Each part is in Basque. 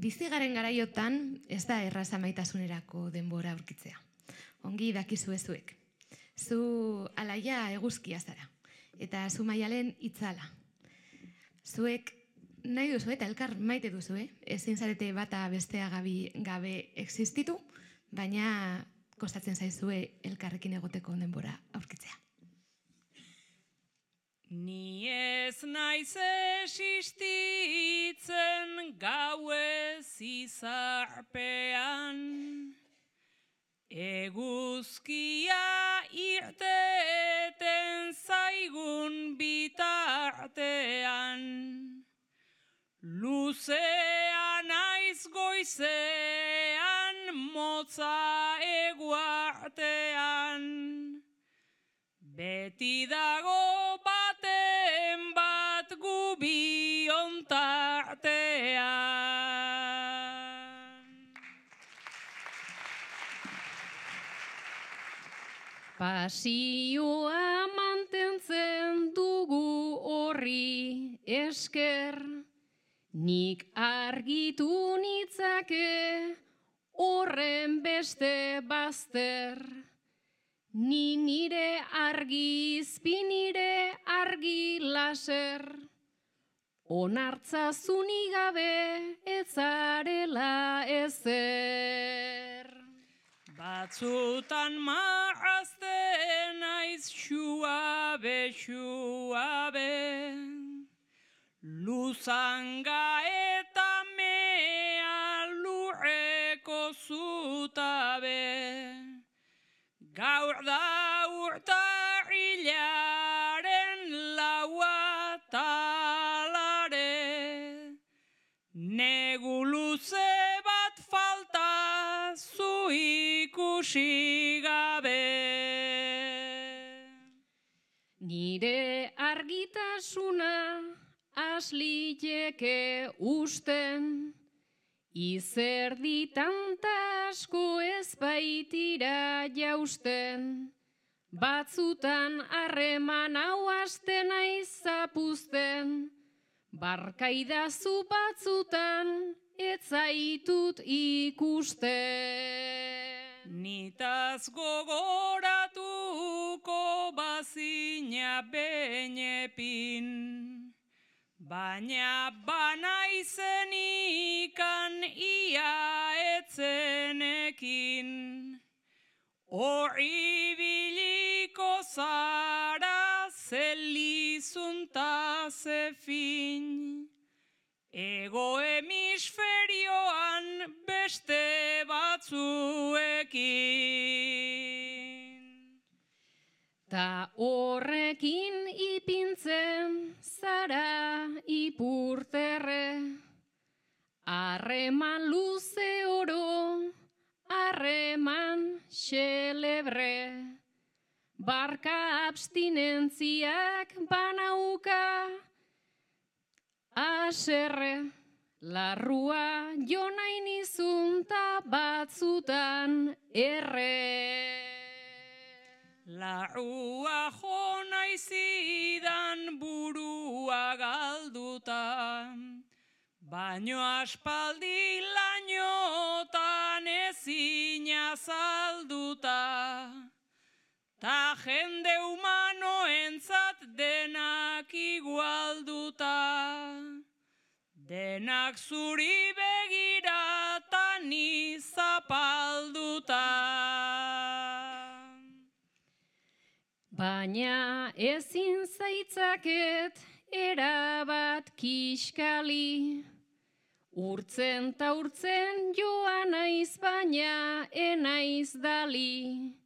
Bizi garen garaiotan ez da erraza maitasunerako denbora aurkitzea. Ongi dakizue zuek. Zu alaia eguzkia zara, eta zu Maialen itzala. Zuek nahi duzu eta elkar maite duzu, ezin zarete bata bestea gabe existitu, baina kostatzen zaizue elkarrekin egoteko denbora aurkitzea. Ni ez naiz existitzen gauez izarpean, eguzkia irteten zaigun bitartean, luzea naiz goizean, motza eguartean, beti dago baten bat gubion tartean. Pasioa mantentzen dugu horri esker, nik argitu nitzake horren beste bazter. Ni nire argi izpi nire argi laser, onartzazuni gabe etzarela ezer. Batzutan marrazten naiz xuabe, luzanga eta mea lurreko zutabe. Gaur da urtarrilaren laua talare, negu luze bat falta zu ikusi gabe. Nire argitasuna asliteke usten, izerdi tanta asko ez baitira jausten, batzutan harreman hau hasten naiz zapuzten, barkaidazu batzutan ez zaitut ikusten. Nitaz gogoratuko bazina benepin, baina banaizenikan ia etzenekin. Horri biliko zara zelizunta zefin, ego hemisferioan beste batzuekin. Ta horrekin ipintzen zara ipurterre, harreman luze oro, harreman xelebre, barka abstinentziak banauka, aserre, larrua jo nahi nizunta batzutan erre. Larrua jo nahi zidan burua galduta, baino aspaldi lainotan ezin azalduta, ta jende humanoentzat denak igualduta, denak zuri begirata ni zapalduta. Baina ezin zaitzaket erabat kiskali, urtzen ta urtzen joan naiz baina enaiz dali,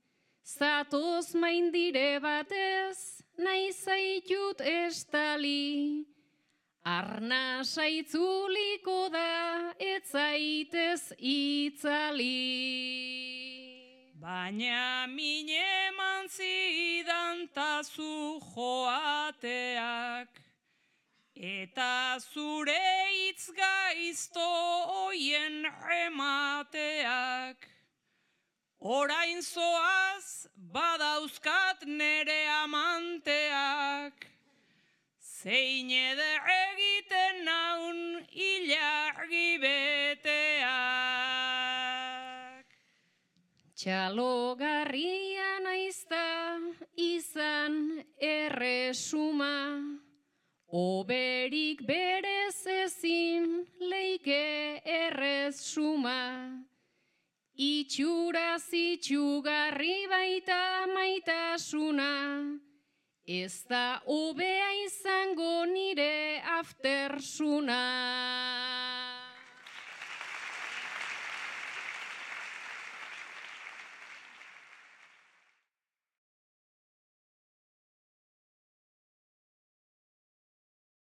zatoz maindire batez nahi zaitut estali, arna saitzuliko da ez zaitez itzali. Baina min eman zidan tazu joateak, eta zure hitz gaizto oien remateak. Orain zoaz badauzkat nere amanteak, zein eder egiten naun ilargi bete. Txalogarria naizta izan erresuma, oberik berez ezin leike errezuma. Itxuraz itxugarri baita maitasuna, ez da hobea izango nire aftersuna.